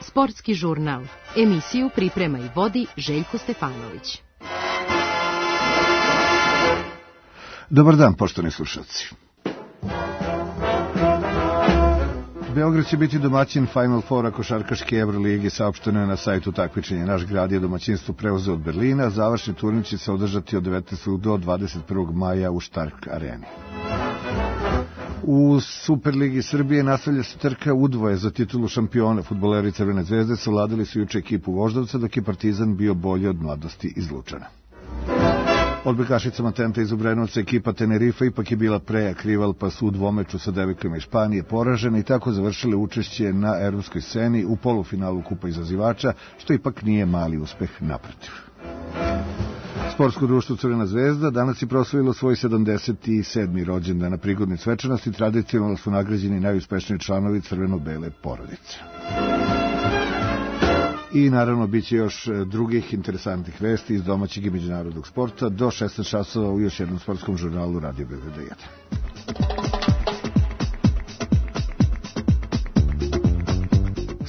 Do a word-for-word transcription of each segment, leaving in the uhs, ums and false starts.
Sportski žurnal. Emisiju priprema i vodi Željko Stefanović. Dobar dan, poštovani slušalci. Beograd će biti domaćin Final Foura košarkaške Evrolige, saopšteno je na sajtu takmičenja. Naš grad je domaćinstvo preuzeo od Berlina, a završni turnir će se održati od devetnaestog do dvadeset prvog maja u Stark areni. U Superligi Srbije nastavlja se trka udvoje za titulu šampiona. Fudbaleri Crvene zvezde savladali su juče ekipu Voždovca, dok je Partizan bio bolji od Mladosti iz Lučana. Odbojkašicama Tenta iz Obrenovca ekipa Tenerife ipak je bila prejak rival, pa su u dvomeču sa devojkama iz Španije poražene i tako završile učešće na evropskoj sceni u polufinalu Kupa izazivača, što ipak nije mali uspeh, naprotiv. Sportsko društvo Crvena zvezda danas je proslavilo svoj sedamdeset sedmi rođendan. Na prigodnoj svečanosti tradicionalno su nagrađeni najuspešniji članovi crveno-bele porodice. I naravno bit će još drugih interesantnih vesti iz domaćeg i međunarodnog sporta do šesnaest časova u još jednom sportskom žurnalu Radio Beograd jedan.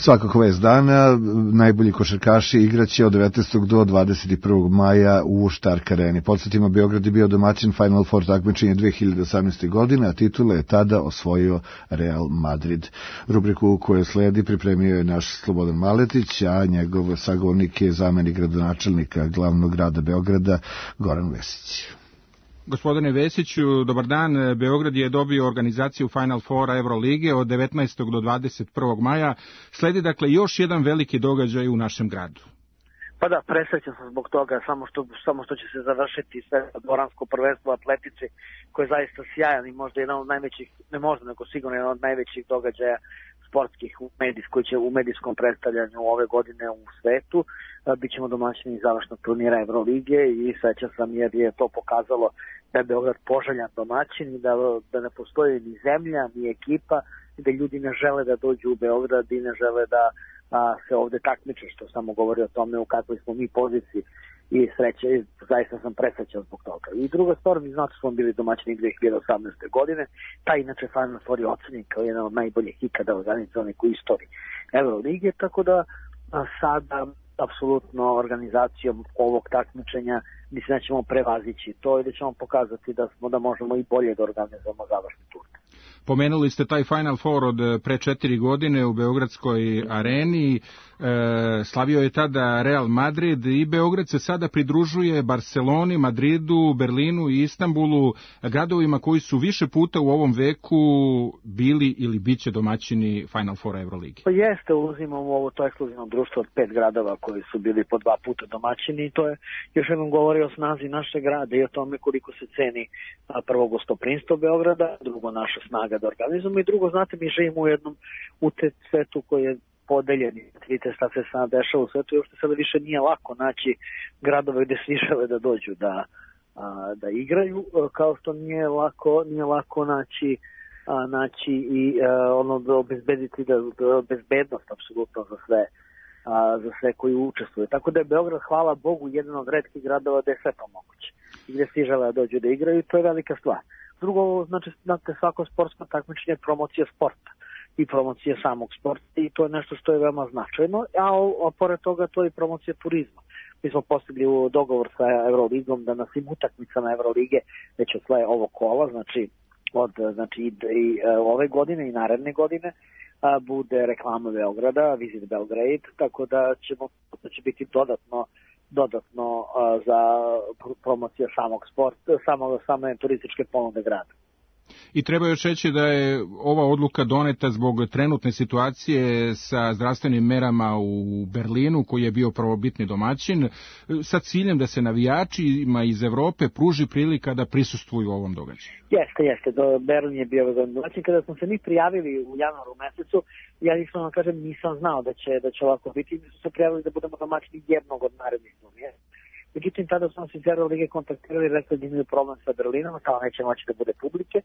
Svakako vest dana, najbolji košarkaši igraće od devetnaestog do dvadeset prvog maja u Stark areni. Podsjetimo, Beograd je bio domaćin Final Four takmičenja dve hiljade osamnaeste. godine, a titule je tada osvojio Real Madrid. Rubriku koju sledi pripremio je naš Slobodan Maletić, a njegov sagovornik je zamenik gradonačelnika glavnog grada Beograda, Goran Vesić. Gospodine Vesiću, dobar dan. Beograd je dobio organizaciju Final Foura Evrolige od devetnaestog do dvadeset prvog maja. Sledi dakle još jedan veliki događaj u našem gradu. Pa da, presrećan sam zbog toga, samo što, samo što će se završiti sve dvoransko prvenstvo atletici, koje je zaista sjajan i možda jedan od najvećih, ne možda nego sigurno jedan od najvećih događaja sportskih u medijs, koji će u medijskom predstavljanju ove godine u svetu. Bićemo domaćini završnog turnira Evrolige i srećan sam jer je to pokazalo da je Beograd poželjan domaćin i da, da ne postoji ni zemlja, ni ekipa, i da ljudi ne žele da dođu u Beograd i ne žele da a, se ovde takmiče, što samo govori o tome u kakvoj smo mi poziciji i sreće, i zaista sam presrećan zbog toga. I druga stvar, mi znate smo bili domaćini dve hiljade osamnaeste. godine, ta inače Final Four je ocenjen kao jedan od najboljih ikada organizovanih u istoriji Evrolige, tako da a, sada apsolutno organizacijom ovog takmičenja mislim da ćemo prevazići to i da ćemo pokazati da smo da možemo i bolje da organizujemo završni turnir. Pomenuli ste taj Final Four od pre četiri godine u Beogradskoj areni. E, slavio je tada Real Madrid i Beograd se sada pridružuje Barceloni, Madridu, Berlinu i Istanbulu, gradovima koji su više puta u ovom veku bili ili bit će domaćini Final Four Evrolige. Pa jeste, uzimamo ovo to ekskluzivno društvo od pet gradova koji su bili po dva puta domaćini i to je još jednom govori o snazi našeg grada i o tome koliko se ceni prvo gostoprimstvo Beograda, drugo naša snaga da organizujemo i drugo, znate, mi živimo u jednom u te svetu koji je podeljen. Vidite šta se sada dešava u svetu i uopšte sada više nije lako naći gradove gde svi žele da dođu da, a, da igraju, kao što nije lako, nije lako naći, a, naći i a, ono da obezbediti da, da bezbednost apsolutno za sve a, za sve koji učestvuju. Tako da je Beograd, hvala Bogu, jedan od retkih gradova gde je sve to moguće i gde svi žele da dođu da igraju i to je velika stvar. Drugo, znači, znate, svako sportsko takmičenje je promocija sporta i promocija samog sporta i to je nešto što je veoma značajno, a, a pored toga to je i promocija turizma. Mi smo postigli u dogovor sa Evroligom da na svim utakmicama Evrolige već od svoje ovo kola, znači od znači, i, i ove godine i naredne godine a, bude reklama Beograda, Visit Belgrade, tako da ćemo, da će biti dodatno dodatno a, za promocija samog sporta, samo, same turističke ponude grada. I treba još reći da je ova odluka doneta zbog trenutne situacije sa zdravstvenim merama u Berlinu, koji je bio prvobitni domaćin, sa ciljem da se navijačima iz Evrope pruži prilika da prisustvuju ovom događaju. Jeste, jeste. Do Berlin je bio domaćin. Kada smo se mi prijavili u januaru mesecu, ja nisam vam kažem, nisam znao da će, da će ovako biti. Mi smo se prijavili da budemo domaćini jednog od narednih turnira. Međutim, tada smo se iz Evrolige kontaktirali i rekli da imaju problem sa Berlinom, kao neće moći da bude publike.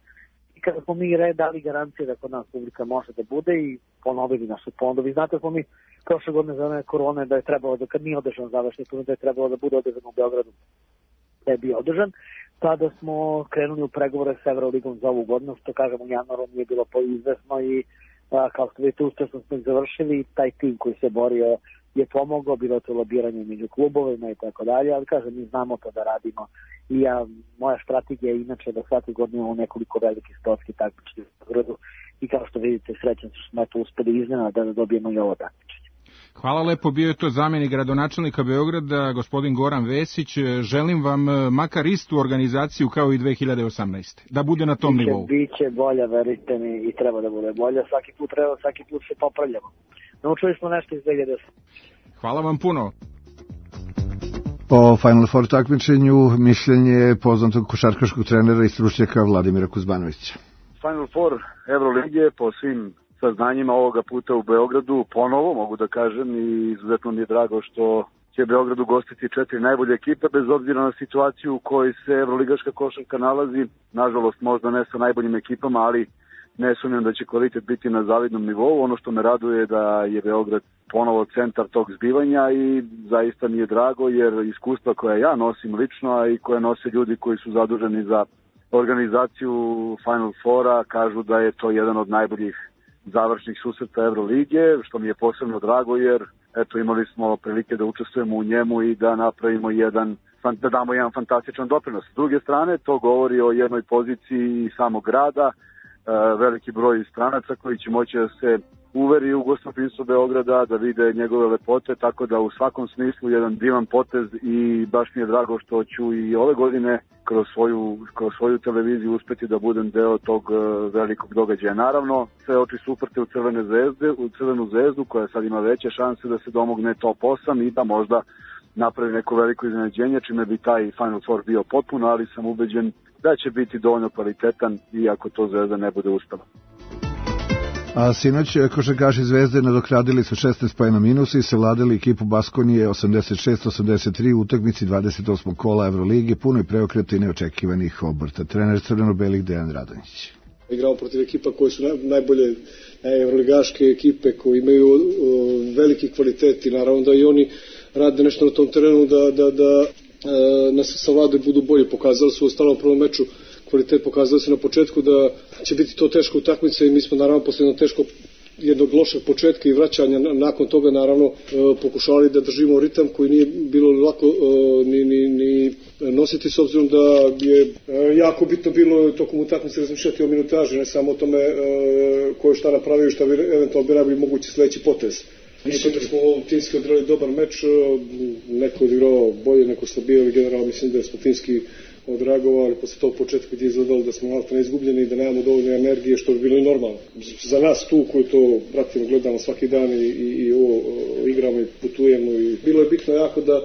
I kada smo mi dali garancije da kod nas publika može da bude i ponovili našu ponudu. Vi znate smo mi prošle godine za one korone da je trebalo, da kad nije održan završni turnir, da je trebalo da bude održan u Beogradu, da je bio održan. Sada smo krenuli u pregovore s Evroligom za ovu godinu, što kažem u januaru nije bilo poizvesno i a, kao što vidite uspešno smo završili, taj tim koji se borio je pomogao, bilo to lobiranje među klubovima i tako dalje, ali kažem mi znamo to da radimo i ja, moja strategija je inače da svake godine imamo nekoliko velikih sportskih takmičenja u Beogradu i kao što vidite srećan što smo eto uspeli iznenada da dobijemo i ovo takmičenje. Hvala lepo, bio je to zamjenik gradonačelnika Beograda, gospodin Goran Vesić. Želim vam makar istu organizaciju kao i dve hiljade osamnaeste. Da bude na tom biće, nivou. Biće bolja, verite mi, i treba da bude bolja. Svaki put treba, svaki put se popravljamo. Naučili smo nešto iz dve hiljade osamnaeste. Hvala vam puno. O Final Four takmičenju mišljenje poznatog košarkaškog trenera i stručnjaka Vladimira Kuzmanovića. Final Four Evrolige po svim saznanjima ovoga puta u Beogradu ponovo, mogu da kažem, i izuzetno mi je drago što će Beograd ugostiti četiri najbolje ekipe, bez obzira na situaciju u kojoj se evroligaška košarka nalazi. Nažalost, možda ne sa najboljim ekipama, ali ne sumnjam da će kvalitet biti na zavidnom nivou. Ono što me raduje je da je Beograd ponovo centar tog zbivanja i zaista mi je drago, jer iskustva koja ja nosim lično, a i koje nose ljudi koji su zaduženi za organizaciju Final Fora, kažu da je to jedan od najboljih završnih susreta Evrolige, što mi je posebno drago, jer eto imali smo prilike da učestvujemo u njemu i da napravimo jedan, da damo jedan fantastičan doprinos. S druge strane, to govori o jednoj poziciji samog grada, veliki broj stranaca koji će moći da se uveri u gostoprimstvo Beograda, da vide njegove lepote, tako da u svakom smislu jedan divan potez i baš mi je drago što ću i ove godine kroz svoju, kroz svoju televiziju uspeti da budem deo tog velikog događaja. Naravno, sve oči su uprte u Crvene zvezde, u Crvenu zvezdu koja sad ima veće šanse da se domogne top osam i da možda napravi neko veliko iznenađenje, čime bi taj Final Four bio potpuno, ali sam ubeđen da će biti dovoljno kvalitetan iako to Zvezda ne bude uspela. A sinoć košarkaši Zvezde nadoknadili su šesnaest poena minusa i savladali ekipu Baskonije osamdeset šest osamdeset tri u utakmici dvadeset osmog kola Evrolige, punoj preokreta i neočekivanih obrta. Trener crveno-belih Dejan Radonjić. Igramo protiv ekipa koje su najbolje evroligaške ekipe, koji imaju veliki kvalitet i naravno da i oni rade nešto na tom terenu da, da, da nas savladaju, budu bolji. Pokazali su u ostalom prvom meču kvalitet, pokazali se na početku da će biti to teško utakmica i mi smo naravno posle jednog teško jednog lošeg početka i vraćanja nakon toga naravno pokušali da držimo ritam koji nije bilo lako ni, ni, ni nositi, s obzirom da je jako bitno bilo tokom utakmice razmišljati o minutaži, ne samo o tome ko je šta napravio i šta bi eventualno bi najbolji mogući sledeći potez. Mislim da smo timski odrali dobar meč, neko odigrao bolje, neko slabije, ali generalno mislim da smo timski odragovali posle tog početka gdje je izgledalo da smo malo neizgubljeni i da nemamo dovoljno energije, što bi bilo i normalno. Za nas tu koji to pratimo, gledamo svaki dan i, i, i ovo igramo i putujemo i bilo je bitno jako da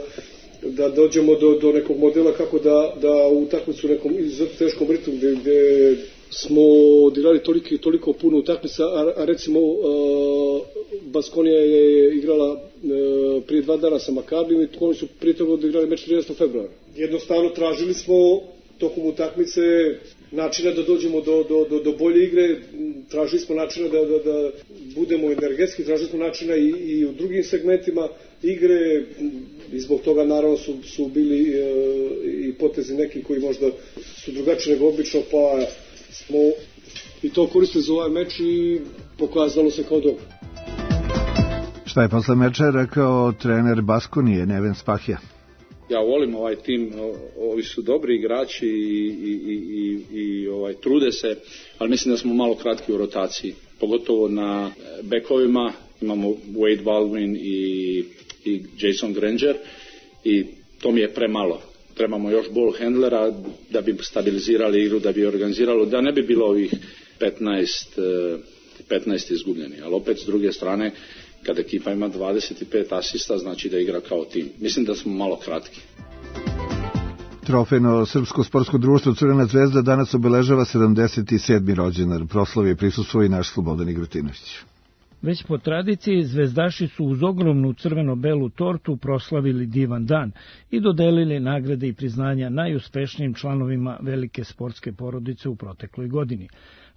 da dođemo do, do nekog modela kako da, da u utakmicu u nekom izuzetno teškom ritmu gdje, gdje smo odigrali toliko, toliko puno utakmica, a, a recimo uh, Baskonija je igrala uh, prije dva dana sa Makabijom i oni su prije toga odigrali meč trinaestog februara. Jednostavno tražili smo tokom utakmice načina da dođemo do, do, do, do bolje igre, tražili smo načina da, da, da budemo energetski, tražili smo načina i, i u drugim segmentima igre i zbog toga naravno su, su bili e, i potezi neki koji možda su drugačiji nego obično, pa smo i to koristili za ovaj meč i pokazalo se kao dobro. Šta je posle meča rekao trener Baskonije, Neven Spahija? Ja volim ovaj tim, ovi su dobri igrači i, i, i, i ovaj, trude se, ali mislim da smo malo kratki u rotaciji, pogotovo na bekovima. Imamo Wade Baldwin i, i Jason Granger i to mi je premalo. Trebamo još ball handlera da bi stabilizirali igru, da bi organiziralo, da ne bi bilo ovih petnaest, petnaest izgubljeni. Ali opet s druge strane, kad ekipa ima dvadeset pet asista, znači da igra kao tim. Mislim da smo malo kratki. Trofejno srpsko sportsko društvo Crvena zvezda danas obeležava sedamdeset sedmi rođendan. Proslavi je prisustvovao i naš Slobodan Igrotinović. Već po tradiciji zvezdaši su uz ogromnu crveno-belu tortu proslavili divan dan i dodelili nagrade i priznanja najuspešnijim članovima velike sportske porodice u protekloj godini.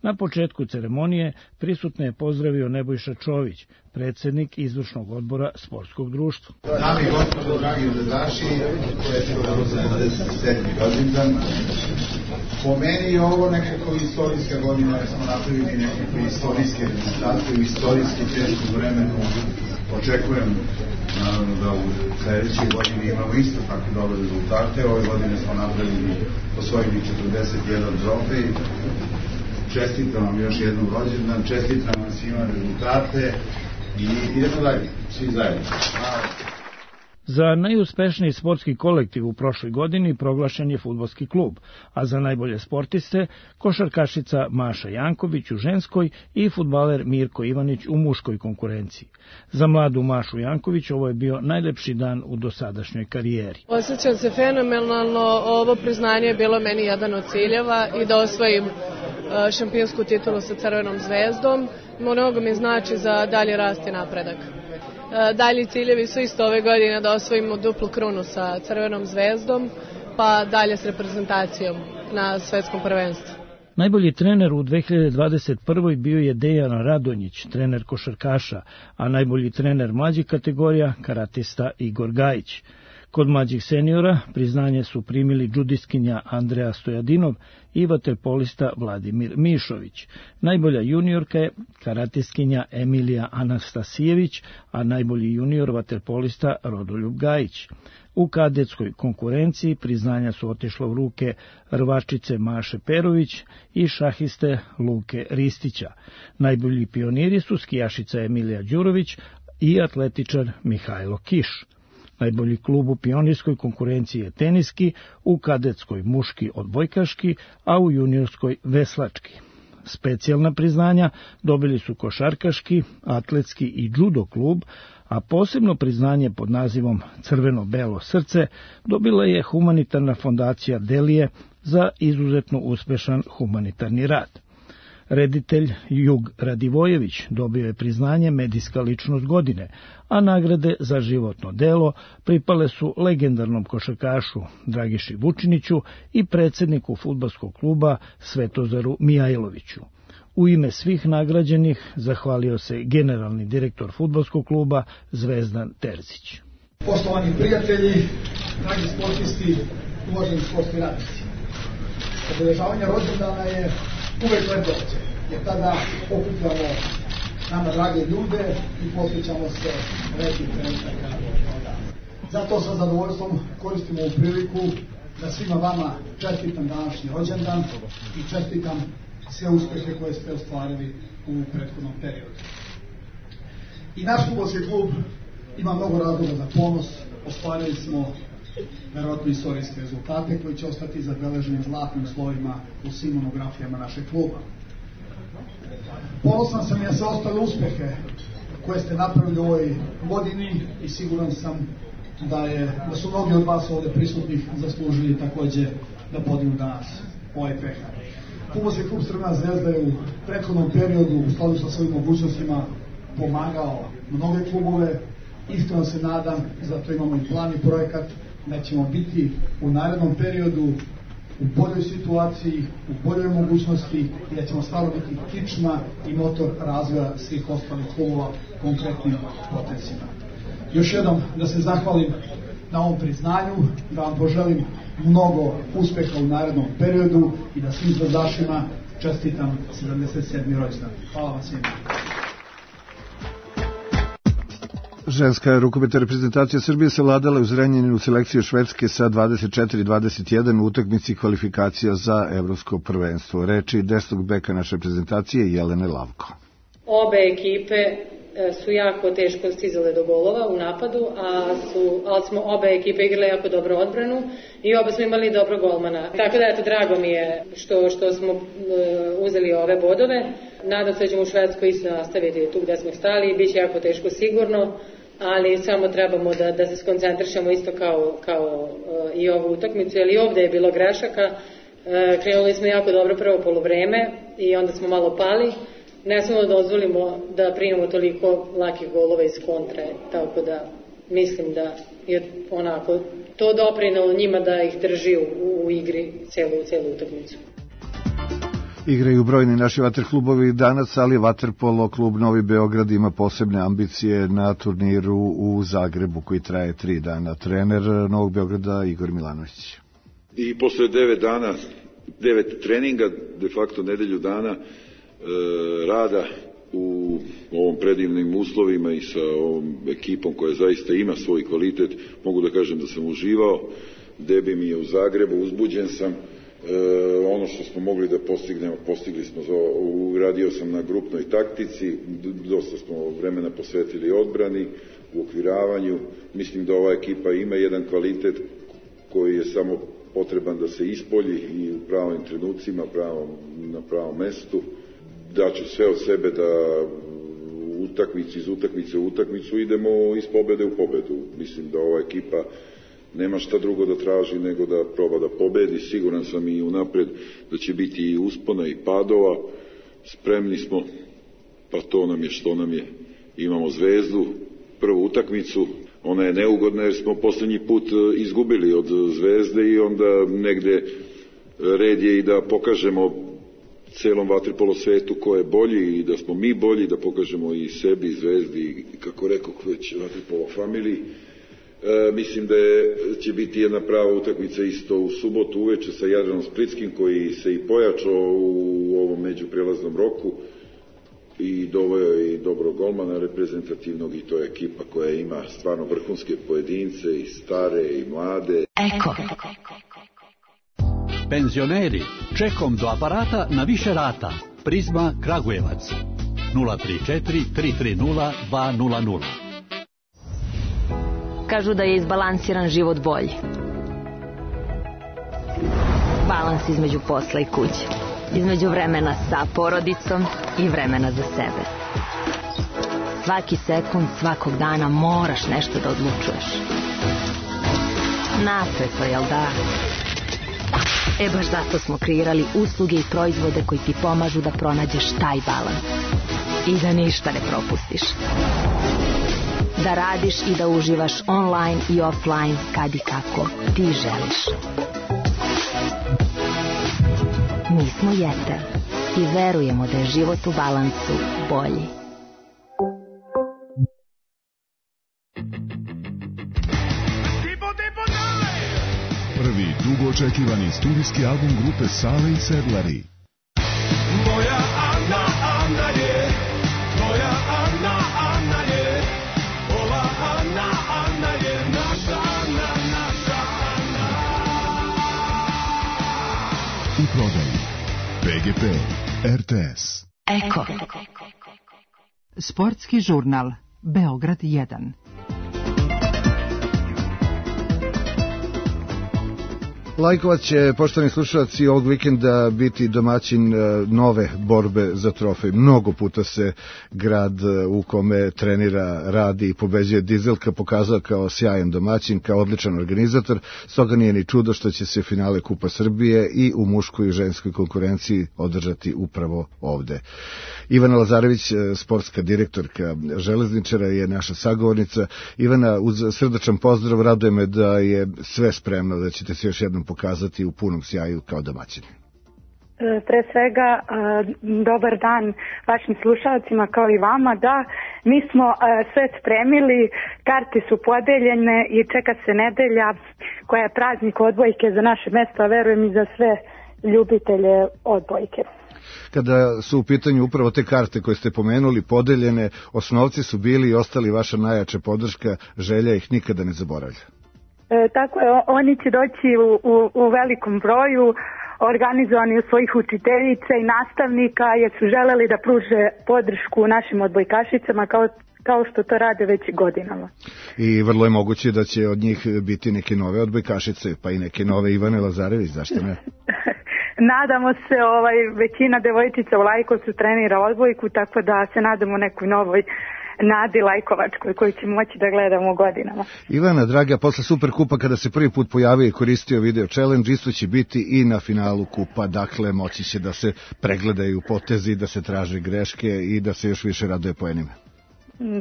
Na početku ceremonije prisutne je pozdravio Nebojša Čović, predsjednik izvršnog odbora sportskog društva. Dame i gospodo, dragi zvezdaši, to je sedamdeset sedmi rođendan. Po meni je ovo nekako istorijska godina, jer smo napravili nekakve istorijske rezultate u istorijski teškom vremenu. Očekujem naravno da u sledećoj godini imamo isto tako dobre rezultate. Ove godine smo napravili, osvojili četrdeset jedan trofej. Čestitam vam još jednom rođendan, čestitam vam svima rezultate i idemo dalje, svi zajedno. Hvala. Za najuspešniji sportski kolektiv u prošloj godini proglašen je fudbalski klub, a za najbolje sportiste košarkašica Maša Janković u ženskoj i fudbaler Mirko Ivanić u muškoj konkurenciji. Za mladu Mašu Janković ovo je bio najlepši dan u dosadašnjoj karijeri. Osjećam se fenomenalno, ovo priznanje je bilo meni jedan od ciljeva i da osvojim šampionsku titulu sa Crvenom zvezdom. Mnogo mi znači za dalji rast i napredak. Dalji ciljevi su isto ove godine da osvojimo duplu krunu sa Crvenom zvezdom, pa dalje s reprezentacijom na svetskom prvenstvu. Najbolji trener u dve hiljade dvadeset prvoj bio je Dejan Radonjić, trener košarkaša, a najbolji trener mlađih kategorija karatista Igor Gajić. Kod mlađih seniora priznanje su primili džudiskinja Andreja Stojadinov i vaterpolista Vladimir Mišović. Najbolja juniorka je karatistkinja Emilija Anastasijević, a najbolji junior vaterpolista Rodoljub Gajić. U kadetskoj konkurenciji priznanja su otišla u ruke rvačice Maše Perović i šahiste Luke Ristića. Najbolji pioniri su skijašica Emilija Đurović i atletičar Mihajlo Kiš. Najbolji klub u pionirskoj konkurenciji je teniski, u kadetskoj muški odbojkaški, a u juniorskoj veslački. Specijalna priznanja dobili su košarkaški, atletski i judo klub, a posebno priznanje pod nazivom Crveno-belo srce dobila je humanitarna fondacija Delije za izuzetno uspešan humanitarni rad. Reditelj Jug Radivojević dobio je priznanje medijska ličnost godine, a nagrade za životno delo pripale su legendarnom košarkašu Dragiši Vučiniću i predsedniku fudbalskog kluba Svetozaru Mijajloviću. U ime svih nagrađenih zahvalio se generalni direktor fudbalskog kluba Zvezdan Terzić. Poštovani prijatelji, dragi sportisti, uvaženi sportski radnici, obeležavanje rođendana je uvek lep događaj, jer tada okupljamo nama drage ljude i posvećamo se lepih trenutaka kao danas. Zato sa zadovoljstvom koristimo ovu priliku da svima vama čestitam današnji rođendan i čestitam sve uspehe koje ste ostvarili u prethodnom periodu. I naš fudbalski klub ima mnogo razloga za ponos, ostvarili smo verovatno istorijske rezultate koji će ostati zabeleženi zlatnim slovima u svim monografijama našeg kluba. Ponosan sam i na sve ostale uspehe koje ste napravili u ovoj godini i siguran sam da, je, da su mnogi od vas ovde prisutnih zaslužili takođe da podignu danas ovaj pehar. Fudbalski klub Crvena zvezda je u prethodnom periodu u skladu sa svojim mogućnostima pomagao mnoge klubove. Iskreno se nadam, zato imamo i plan i projekat, da ćemo biti u narednom periodu u boljoj situaciji, u boljoj mogućnosti i da ćemo stvarno biti kičma i motor razvoja svih ostalih klubova konkretnim potencijama. Još jednom da se zahvalim na ovom priznanju, da vam poželim mnogo uspeha u narednom periodu i da svim zvezdašima čestitam sedamdeset sedmi rođendan. Hvala vam svima. Ženska rukometna reprezentacija Srbije se vladala u Zrenjaninu selekciju Švedske sa dvadeset četiri dvadeset jedan u utakmici kvalifikacija za evropsko prvenstvo. Reči desnog beka naše reprezentacije Jelene Lavko. Obe ekipe su jako teško stizale do golova u napadu, a su, ali smo obe ekipe igrale jako dobro odbranu i oba smo imali dobro golmana. Tako da, eto, drago mi je što, što smo uh, uzeli ove bodove. Nadam se da ćemo u Švedskoj isto nastaviti tu gde smo stali i bit će jako teško sigurno, ali samo trebamo da, da se skoncentrišemo isto kao, kao uh, i ovu utakmicu, jer i ovde je bilo grešaka. Uh, krenuli smo jako dobro prvo poluvreme i onda smo malo pali. Ne smemo da dozvolimo da primamo toliko lakih golova iz kontre, tako da mislim da je onako to doprinelo njima da ih drži u, u igri celu, celu utakmicu. Igraju brojni naši vaterklubovi danas, ali vaterpolo klub Novi Beograd ima posebne ambicije na turniru u Zagrebu koji traje tri dana. Trener Novog Beograda Igor Milanović. I posle devet dana devet treninga, de facto nedelju dana e, rada u ovom predivnim uslovima i sa ovom ekipom koja zaista ima svoj kvalitet. Mogu da kažem da sam uživao, debi mi je u Zagrebu, uzbuđen sam. E, ono što smo mogli da postignemo, postigli smo. Radio sam na grupnoj taktici, dosta smo vremena posvetili odbrani, u okviravanju. Mislim da ova ekipa ima jedan kvalitet koji je samo potreban da se ispolji i u pravim trenucima, pravom, na pravom mestu. Daću sve od sebe da u utakmici, iz utakmice u utakmicu idemo iz pobede u pobedu. Mislim da ova ekipa nema šta drugo da traži nego da proba da pobedi. Siguran sam i unapred da će biti i uspona i padova. Spremni smo, pa to nam je što nam je. Imamo Zvezdu, prvu utakmicu. Ona je neugodna jer smo poslednji put izgubili od Zvezde i onda negde red je i da pokažemo celom vaterpolo svetu ko je bolji i da smo mi bolji, da pokažemo i sebi, Zvezdi, kako rekao već vaterpolo familiji. E, mislim da je, će biti jedna prava utakmica isto u subotu uveče sa Jadranom Splitskim koji se i pojačao u ovom međuprelaznom roku i doveo i dobrog golmana reprezentativnog i to je ekipa koja ima stvarno vrhunske pojedince i stare i mlade. Eko. Penzioneri, čekom do aparata na više rata. Prizma Kragujevac. nula tri četiri tri tri nula dva nula nula. Kažu da je izbalansiran život bolji. Balans između posla i kuće. Između vremena sa porodicom i vremena za sebe. Svaki sekund, svakog dana moraš nešto da odlučuješ. Napeto, jel da? E baš zato smo kreirali usluge i proizvode koji ti pomažu da pronađeš taj balans. I da ništa ne propustiš. Da radiš i da uživaš online i offline kad i kako ti želiš. Mi smo Jeter i verujemo da je život u balansu bolji. Prvi dugo očekivani studijski album grupe Sale i Sedlari. Moja Ana, Ana je, moja Ana, Ana je, ova Ana, Ana je naša Ana, naša Ana. U prodaji P G P, R T S. Eko. Sportski žurnal Beograd jedan. Lajkovac će, poštovani slušalci, ovog vikenda biti domaćin nove borbe za trofej. Mnogo puta se grad u kome trenira, radi i pobeđuje Dizelka pokazao kao sjajan domaćin, kao odličan organizator, stoga nije ni čudo što će se finale Kupa Srbije i u muškoj i ženskoj konkurenciji održati upravo ovde. Ivana Lazarević, sportska direktorka Železničara, je naša sagovornica. Ivana, uz srdačan pozdrav, raduje me da je sve spremno, da ćete se još jednom pokazati u punom sjaju kao domaćini. Pre svega, dobar dan vašim slušalcima kao i vama. Da, mi smo sve spremili, karte su podeljene i čeka se nedelja koja je praznik odbojke za naše mesto, a verujem i za sve ljubitelje odbojke. Kada su u pitanju upravo te karte koje ste pomenuli, podeljene, osnovci su bili i ostali vaša najjača podrška, želja ih nikada ne zaboravlja. E, tako je, oni će doći u, u, u velikom broju, organizovani od svojih učiteljica i nastavnika, jer su želeli da pruže podršku našim odbojkašicama kao, kao što to rade već godinama. I vrlo je moguće da će od njih biti neke nove odbojkašice, pa i neke nove Ivane Lazarević, zašto ne? Nadamo se, ovaj, većina devojčica u Lajkovcu trenira odbojku, tako da se nadamo nekoj novoj Nadi Lajkovačkoj koju ćemo moći da gledamo godinama. Ivana, draga, posle Superkupa kada se prvi put pojavio i koristio video challenge, isto će biti i na finalu Kupa, dakle moći će da se pregledaju potezi, da se traže greške i da se još više raduje poenima.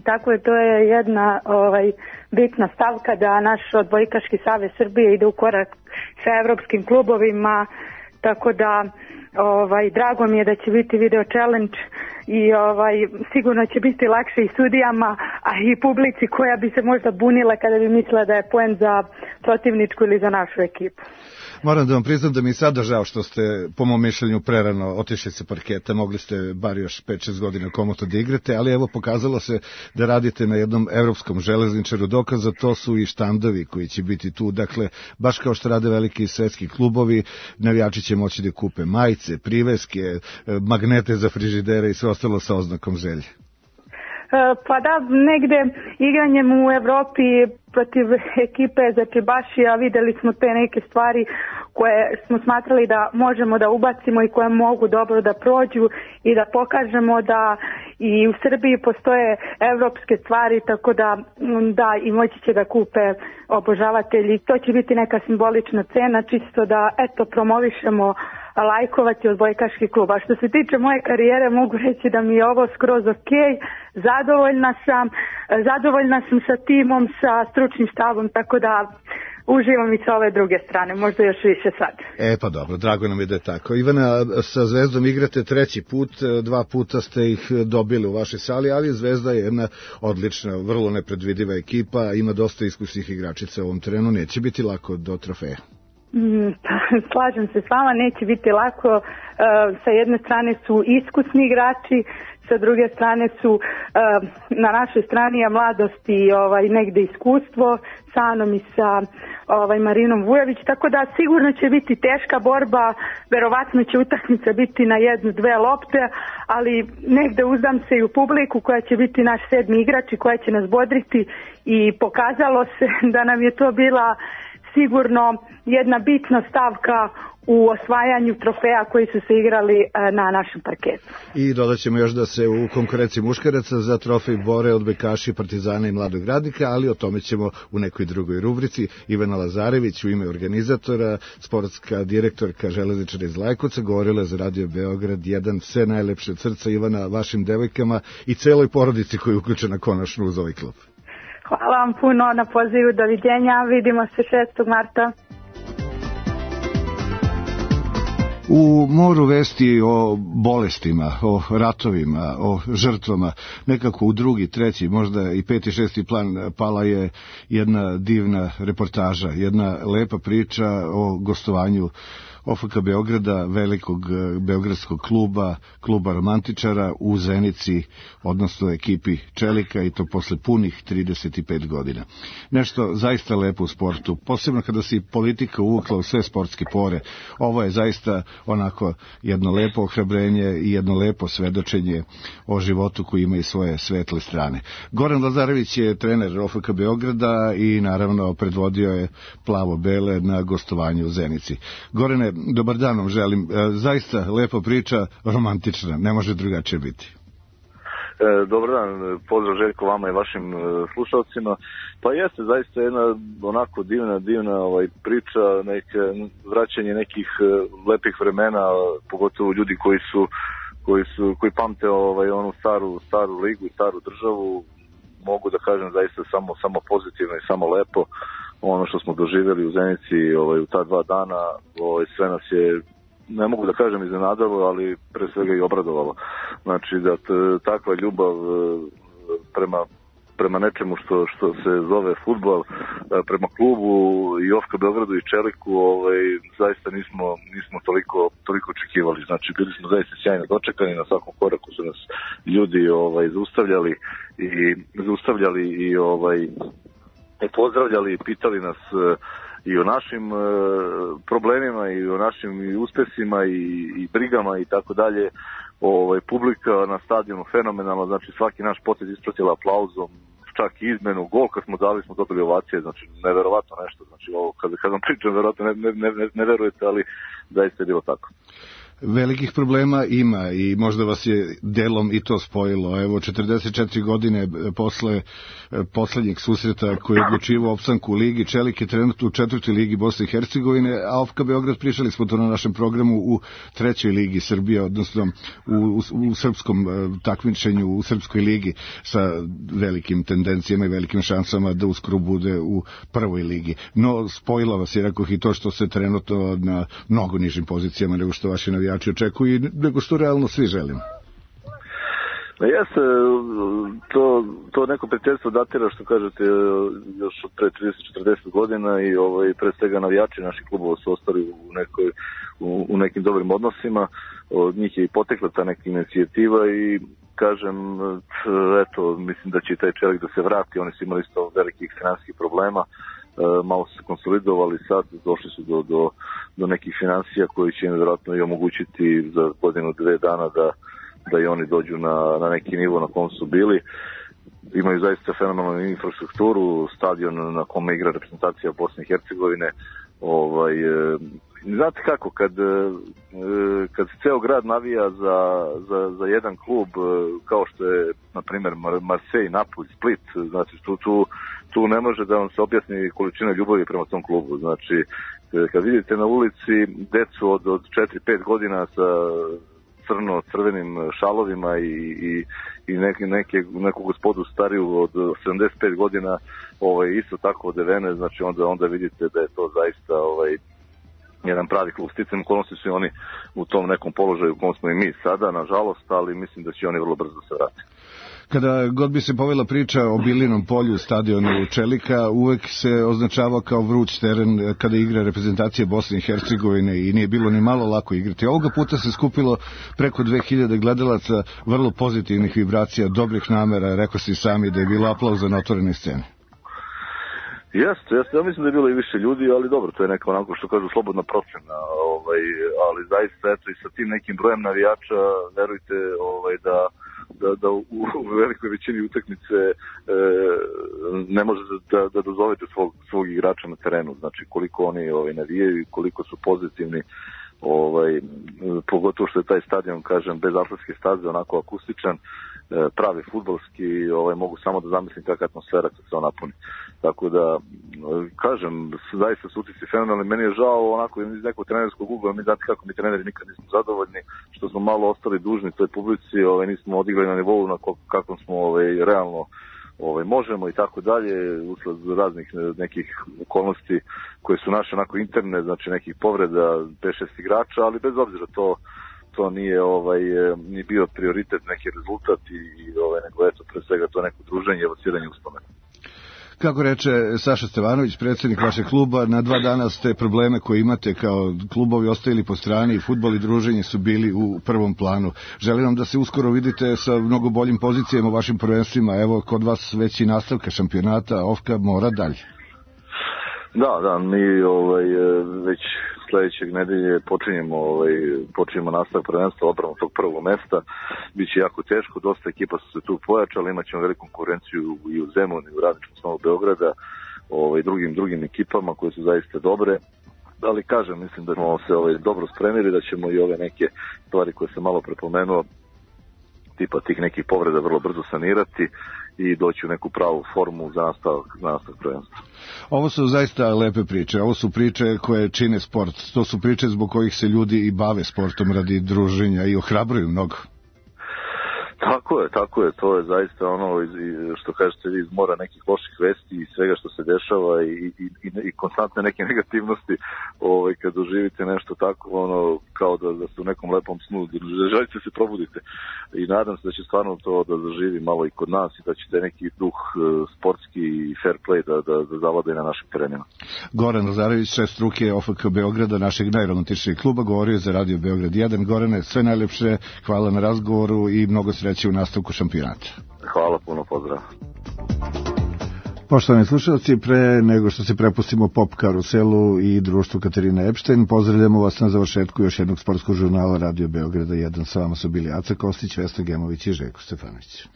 Tako je, to je jedna ovaj, bitna stavka da naš odbojkaški savez Srbije ide u korak sa evropskim klubovima, tako da ovaj, drago mi je da će biti video challenge i ovaj, sigurno će biti lakše i sudijama, a i publici koja bi se možda bunila kada bi mislila da je poen za protivničku ili za našu ekipu. Moram da vam priznam da mi je sada žao što ste, po mom mišljenju, prerano otišli sa parketa, mogli ste bar još pet šest godina komotno da igrate, ali evo pokazalo se da radite na jednom evropskom železničaru, dokaz za to su i štandovi koji će biti tu, dakle, baš kao što rade veliki svetski klubovi, navijači će moći da kupe majice, priveske, magnete za frižidere i sve ostalo sa oznakom želje. Pa da, negde igranjem u Evropi protiv ekipe Začebašija videli smo te neke stvari koje smo smatrali da možemo da ubacimo i koje mogu dobro da prođu i da pokažemo da i u Srbiji postoje evropske stvari, tako da da i moći će da kupe obožavatelji. To će biti neka simbolična cena, čisto da eto promovišemo lajkovati odbojkaški klub. A što se tiče moje karijere, mogu reći da mi je ovo skroz ok, zadovoljna sam, zadovoljna sam sa timom, sa stručnim štabom, tako da uživam i sa ove druge strane, možda još više sad. E pa dobro, drago nam je da je tako. Ivana, sa Zvezdom igrate treći put, dva puta ste ih dobili u vašoj sali, ali Zvezda je jedna odlična, vrlo nepredvidiva ekipa, ima dosta iskusnih igračica u ovom trenu, neće biti lako do trofeja. Mm, slažem se s vama, neće biti lako. E, sa jedne strane su iskusni igrači, sa druge strane su e, na našoj strani je mladost i ovaj, negde iskustvo sa Anom i sa ovaj, Marinom Vujović, tako da sigurno će biti teška borba, verovatno će utakmica biti na jednu, dve lopte, ali negde uzdam se i u publiku koja će biti naš sedmi igrač i koja će nas bodriti i pokazalo se da nam je to bila sigurno jedna bitna stavka u osvajanju trofeja koji su se igrali na našem parketu. I dodat ćemo još da se u konkurenciji muškaraca za trofej bore odbojkaši Partizana i Mladog Radnika, ali o tome ćemo u nekoj drugoj rubrici. Ivana Lazarević u ime organizatora, sportska direktorka železničara iz Lajkovca, govorila za Radio Beograd jedan. Sve najlepše od srca, Ivana, vašim devojkama i celoj porodici koja je uključena konačno uz ovaj klub. Hvala vam puno na pozivu, doviđenja, vidimo se šestog marta. U moru vesti o bolestima, o ratovima, o žrtvama, nekako u drugi, treći, možda i peti, šesti plan pala je jedna divna reportaža, jedna lepa priča o gostovanju O F K Beograda, velikog beogradskog kluba, kluba romantičara u Zenici, odnosno ekipi Čelika, i to posle punih trideset pet godina. Nešto zaista lepo u sportu, posebno kada se i politika uvukla u sve sportske pore. Ovo je zaista onako jedno lepo ohrabrenje i jedno lepo svedočenje o životu koji ima i svoje svetle strane. Goran Lazarević je trener O F K Beograda i naravno predvodio je plavo-bele na gostovanju u Zenici. Gorane, dobar dan vam želim. Zaista lepa priča, romantična, ne može drugačije biti. E, dobar dan, pozdrav Željko vama i vašim e, slušalcima. Pa jeste zaista jedna onako divna, divna ovaj, priča, neke, vraćanje nekih e, lepih vremena, pogotovo ljudi koji su koji su koji pamte ovaj onu staru staru ligu i staru državu. Mogu da kažem zaista samo samo pozitivno i samo lepo. Ono što smo doživjeli u Zenici ovaj, u ta dva dana, ovaj, sve nas je, ne mogu da kažem iznenadalo, ali pre svega i obradovalo. Znači da t, takva ljubav prema, prema nečemu što, što se zove fudbal, prema klubu i O F K Beogradu i Čeliku, ovaj, zaista nismo, nismo toliko, toliko očekivali. Znači bili smo zaista sjajno dočekani, na svakom koraku su nas ljudi ovaj, zaustavljali i zaustavljali i ovaj, i pozdravljali i pitali nas e, i o našim e, problemima i o našim i uspesima i, i brigama i tako dalje. Ovaj, publika na stadionu fenomenalno, znači svaki naš potez ispratila aplauzom, čak i izmenu, gol kad smo dali smo dobili ovacije, znači neverovatno nešto, znači ovo kad, kad vam pričam verovatno ne, ne, ne, ne verujete, ali zaista je bilo tako. Velikih problema ima i možda vas je delom i to spojilo. Evo, četrdeset četiri godine posle poslednjeg susreta koji je odlučivao opstanku u ligi, Čelik je trenutno u četvrtoj ligi Bosne i Hercegovine, a O F K Beograd, pričali smo to na našem programu, u trećoj ligi Srbije, odnosno u, u, u srpskom takmičenju, u srpskoj ligi, sa velikim tendencijama i velikim šansama da uskoro bude u prvoj ligi. No, spojilo vas je, rekoh, i to što se trenutno na mnogo nižim pozicijama nego što vaši navijači očekuju i nego što realno svi želimo. Jeste, to, to neko prijateljstvo datira, što kažete, još od pre trideset do četrdeset godina i ovaj, pre svega navijači naših klubova su ostali u, nekoj, u, u nekim dobrim odnosima. Od njih je i potekla ta neka inicijativa i kažem, eto, mislim da će i taj čelik da se vrati. Oni su imali isto velikih finansijskih problema, malo su se konsolidovali, sad došli su do, do, do nekih finansija koji će im vjerojatno i omogućiti za godinu, dve dana da da i oni dođu na, na neki nivo na kom su bili. Imaju zaista fenomenalnu infrastrukturu, stadion na kome igra reprezentacija Bosne i Hercegovine. Ovaj, e, znate kako, kad, e, kad se ceo grad navija za, za, za jedan klub, e, kao što je, na primjer, Marseille, Napoli, Split, znači tu, tu, tu ne može da vam se objasni količina ljubavi prema tom klubu. Znači, kad vidite na ulici decu od, od četiri pet godina sa crno-crvenim šalovima i, i, i neke, neke, neku gospodu stariju od sedamdeset pet godina ovaj, isto tako odevene, znači onda, onda vidite da je to zaista ovaj, jedan pravi klub. Sticam okolnosti su oni u tom nekom položaju u kom smo i mi sada, nažalost, ali mislim da će oni vrlo brzo se vratiti. Kada god bi se povela priča o Bilinom polju, stadionu Čelika, uvek se označavao kao vruć teren kada igra reprezentacija Bosne i Hercegovine i nije bilo ni malo lako igrati. Ovoga puta se skupilo preko dve hiljade gledalaca, vrlo pozitivnih vibracija, dobrih namera, rekao si sami da je bilo aplauza na otvorenoj sceni. Jeste, jeste, ja mislim da je bilo i više ljudi, ali dobro, to je neka onako što kažu slobodna procena, ovaj, ali zaista eto i sa tim nekim brojem navijača, verujte ovaj, da da, da u, u velikoj većini utakmice e, ne može da, da dozovete svog, svog igrača na terenu, znači koliko oni ovaj, navijaju i koliko su pozitivni, ovaj, pogotovo što je taj stadion, kažem, bez atletske staze, onako akustičan, pravi fudbalski, ovaj, mogu samo da zamislim kakva atmosfera kad se on napuni. Tako da, kažem, zaista su utisci fenomenalni. Meni je žao onako iz nekog trenerskog ugla, mi znate kako mi treneri nikad nismo zadovoljni, što smo malo ostali dužni toj publici, ovaj, nismo odigrali na nivou na kakvom smo ovaj, realno ovaj, možemo i tako dalje, usled raznih nekih okolnosti koje su naše onako interne, znači nekih povreda pet šest igrača, ali bez obzira to to nije ovaj ni bio prioritet, neki rezultat i, i ovaj nego eto pre svega to neko druženje i evociranje uspomena. Kako reče Saša Stevanović, predsjednik vašeg kluba, na dva dana ste probleme koje imate kao klubovi ostavili po strani i fudbal i druženje su bili u prvom planu. Želim vam da se uskoro vidite sa mnogo boljim pozicijama u vašim prvenstvima. Evo, kod vas već i nastavka šampionata, Ofka mora dalje. Da, da, mi ovaj, već sledećeg nedelje počinjemo, ovaj, počinjemo nastavak prvenstva, odbranu tog prvog mesta. Biće jako teško, dosta ekipa su se tu pojačali, imat ćemo veliku konkurenciju i u Zemunu i u Radničkom Snovu Beograda, ovaj, drugim, drugim ekipama koje su zaista dobre. Ali kažem, mislim da smo se ovaj, dobro spremili, da ćemo i ove neke stvari koje sam malo prepomenuo, tipa tih nekih povreda vrlo brzo sanirati i doći u neku pravu formu za nastavak, za nastavak prvenstva. Ovo su zaista lepe priče, ovo su priče koje čine sport, to su priče zbog kojih se ljudi i bave sportom radi druženja i ohrabruju mnogo. Tako je, tako je, to je zaista ono što kažete vi iz mora nekih loših vesti i svega što se dešava i, i, i, i konstantne neke negativnosti, ovaj, kad doživite nešto tako, ono, kao da, da ste u nekom lepom snu, da želite se probudite i nadam se da će stvarno to da zaživi malo i kod nas i da će neki duh sportski i fair play da, da, da zavlada i na našim terenima. Goran Lazarević, šef struke O F K Beograda, našeg najromantičnijeg kluba, govorio za Radio Beograd jedan. Gorane, sve najlepše, hvala na razgovoru i mnogo sreće u nastavku šampionata. Hvala puno, pozdrav. Poštovani slušalci, pre nego što se prepustimo Pop karuselu i društvu Katarina Epštajn, pozdravljamo vas na završetku još jednog sportskog žurnala Radio Beograda jedan. Sa vama su bili Aca Kostić, Vesna Gemović i Željko Stefanović.